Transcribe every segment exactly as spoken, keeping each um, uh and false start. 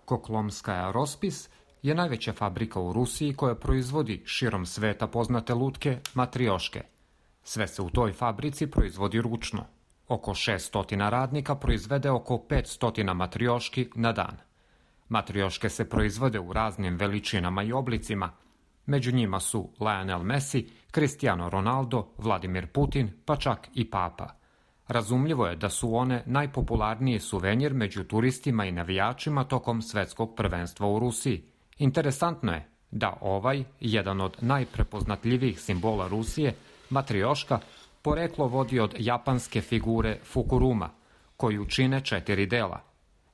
Koklomskaja Rospis je najveća fabrika u Rusiji koja proizvodi širom sveta poznate lutke matrioške. Sve se u toj fabrici proizvodi ručno. Oko šesto radnika proizvede oko petsto matrioški na dan. Matrioške se proizvode u raznim veličinama i oblicima. Među njima su Lionel Messi, Cristiano Ronaldo, Vladimir Putin, pa čak i Papa. Razumljivo je da su one najpopularniji suvenir među turistima i navijačima tokom svetskog prvenstva u Rusiji. Interesantno je da ovaj, jedan od najprepoznatljivijih simbola Rusije, matrioška, poreklo vodi od japanske figure Fukuruma, koju čine četiri dela.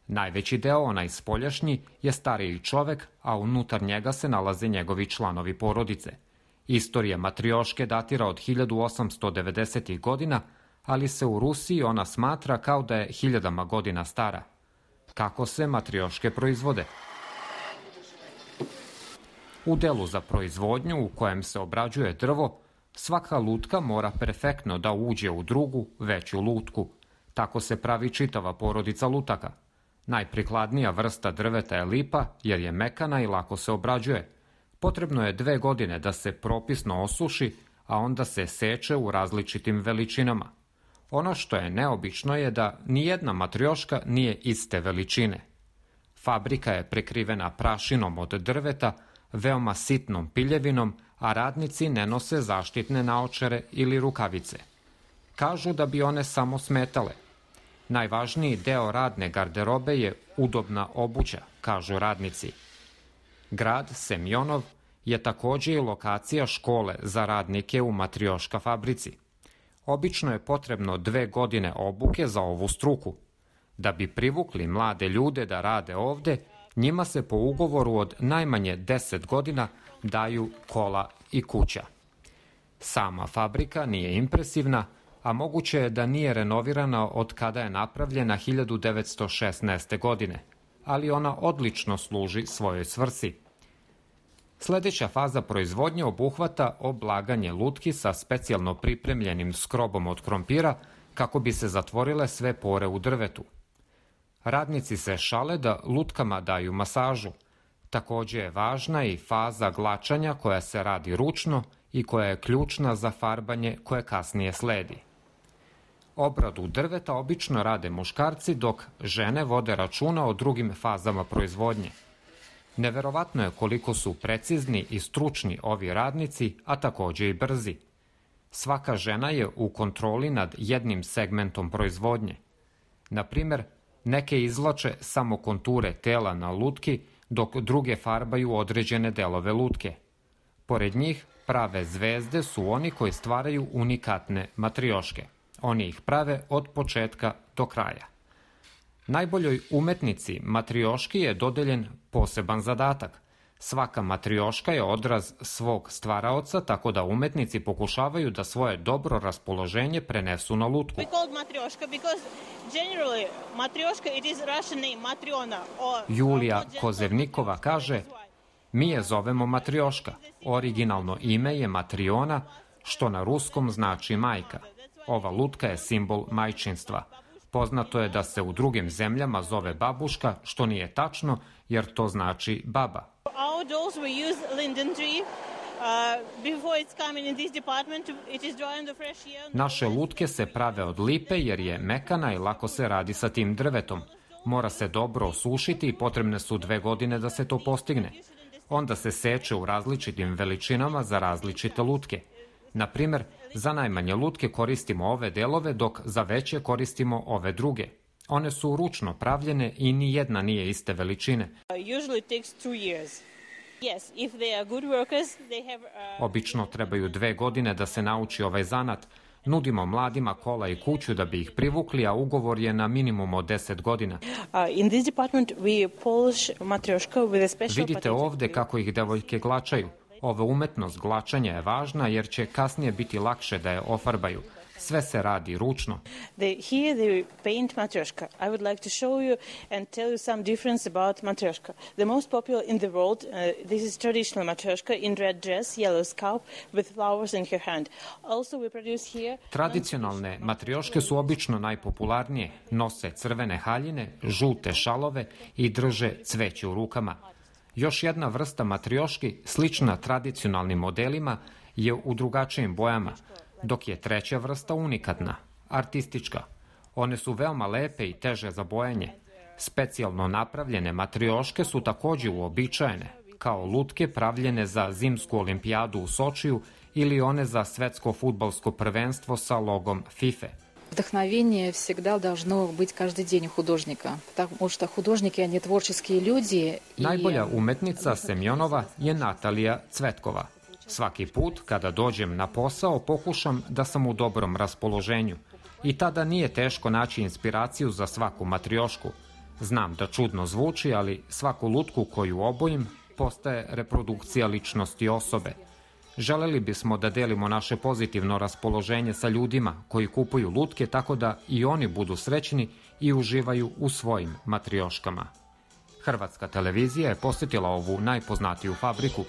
Najveći deo, onaj spoljašnji, je stariji čovek, a unutar njega se nalaze njegovi članovi porodice. Istorija matrioške datira od hiljadu osamsto devedesetih godina, ali se u Rusiji ona smatra kao da je hiljadama godina stara. Kako se matrioške proizvode? U delu za proizvodnju u kojem se obrađuje drvo, svaka lutka mora perfektno da uđe u drugu, veću lutku. Tako se pravi čitava porodica lutaka. Najprikladnija vrsta drveta je lipa jer je mekana i lako se obrađuje. Potrebno je dve godine da se propisno osuši, a onda se seče u različitim veličinama. Ono što je neobično je da nijedna matrioška nije iste veličine. Fabrika je prekrivena prašinom od drveta, veoma sitnom piljevinom, a radnici ne nose zaštitne naočare ili rukavice. Kažu da bi one samo smetale. Najvažniji deo radne garderobe je udobna obuća, kažu radnici. Grad Semjonov je također i lokacija škole za radnike u matrioška fabrici. Obično je potrebno dve godine obuke za ovu struku. Da bi privukli mlade ljude da rade ovde, njima se po ugovoru od najmanje deset godina daju kola i kuća. Sama fabrika nije impresivna, a moguće je da nije renovirana od kada je napravljena hiljadu devetsto šesnaeste. godine, ali ona odlično služi svojoj svrsi. Sljedeća faza proizvodnje obuhvata oblaganje lutki sa specijalno pripremljenim skrobom od krompira kako bi se zatvorile sve pore u drvetu. Radnici se šale da lutkama daju masažu. Također je važna i faza glačanja koja se radi ručno i koja je ključna za farbanje koje kasnije sledi. Obradu drveta obično rade muškarci, dok žene vode računa o drugim fazama proizvodnje. Neverovatno je koliko su precizni i stručni ovi radnici, a također i brzi. Svaka žena je u kontroli nad jednim segmentom proizvodnje. Na primjer, neke izvlače samo konture tela na lutki, dok druge farbaju određene delove lutke. Pored njih, prave zvezde su oni koji stvaraju unikatne matrioške. Oni ih prave od početka do kraja. Najboljoj umetnici matrioški je dodeljen poseban zadatak. Svaka matrioška je odraz svog stvaraoca, tako da umetnici pokušavaju da svoje dobro raspoloženje prenesu na lutku. Julija Kozevnikova kaže: mi je zovemo matrioška. Originalno ime je Matriona, što na ruskom znači majka. Ova lutka je simbol majčinstva. Poznato je da se u drugim zemljama zove babuška, što nije tačno, jer to znači baba. Naše lutke se prave od lipe jer je mekana i lako se radi sa tim drvetom. Mora se dobro osušiti i potrebne su dve godine da se to postigne. Onda se seče u različitim veličinama za različite lutke. Na primjer, za najmanje lutke koristimo ove delove, dok za veće koristimo ove druge. One su ručno pravljene i ni jedna nije iste veličine. Obično trebaju dve godine da se nauči ovaj zanat. Nudimo mladima kola i kuću da bi ih privukli, a ugovor je na minimum od deset godina. Vidite ovde kako ih devojke glačaju. Ova umetnost glačanja je važna jer će kasnije biti lakše da je ofarbaju. Sve se radi ručno. They, here they paint matryoshka. I would like to show you and tell you some difference about matryoshka. The most popular in the world, uh, this is traditional matryoshka in red dress, yellow scalp with flowers in her hand. Also we produce here... Tradicionalne matrioške su obično najpopularnije. Nose crvene haljine, žute šalove i drže cveće u rukama. Još jedna vrsta matrioški, slična tradicionalnim modelima, je u drugačijim bojama, dok je treća vrsta unikatna, artistička. One su veoma lepe i teže za bojanje. Specijalno napravljene matrioške su također uobičajene, kao lutke pravljene za zimsku olimpijadu u Sočiju ili one za svetsko fudbalsko prvenstvo sa logom FIFA. Вдохновение всегда должно быть каждый день у художника, потому что художники, они творческие люди. Najbolja umetnica Semjonova je Natalija Cvetkova. Svaki put kada dođem na posao pokušam da sam u dobrom raspoloženju i tada nije teško naći inspiraciju za svaku matriošku. Znam da čudno zvuči, ali svaku lutku koju obojim postaje reprodukcija ličnosti osobe. Želeli bismo da delimo naše pozitivno raspoloženje sa ljudima koji kupuju lutke tako da i oni budu srećni i uživaju u svojim matrioškama. Hrvatska televizija je posjetila ovu najpoznatiju fabriku.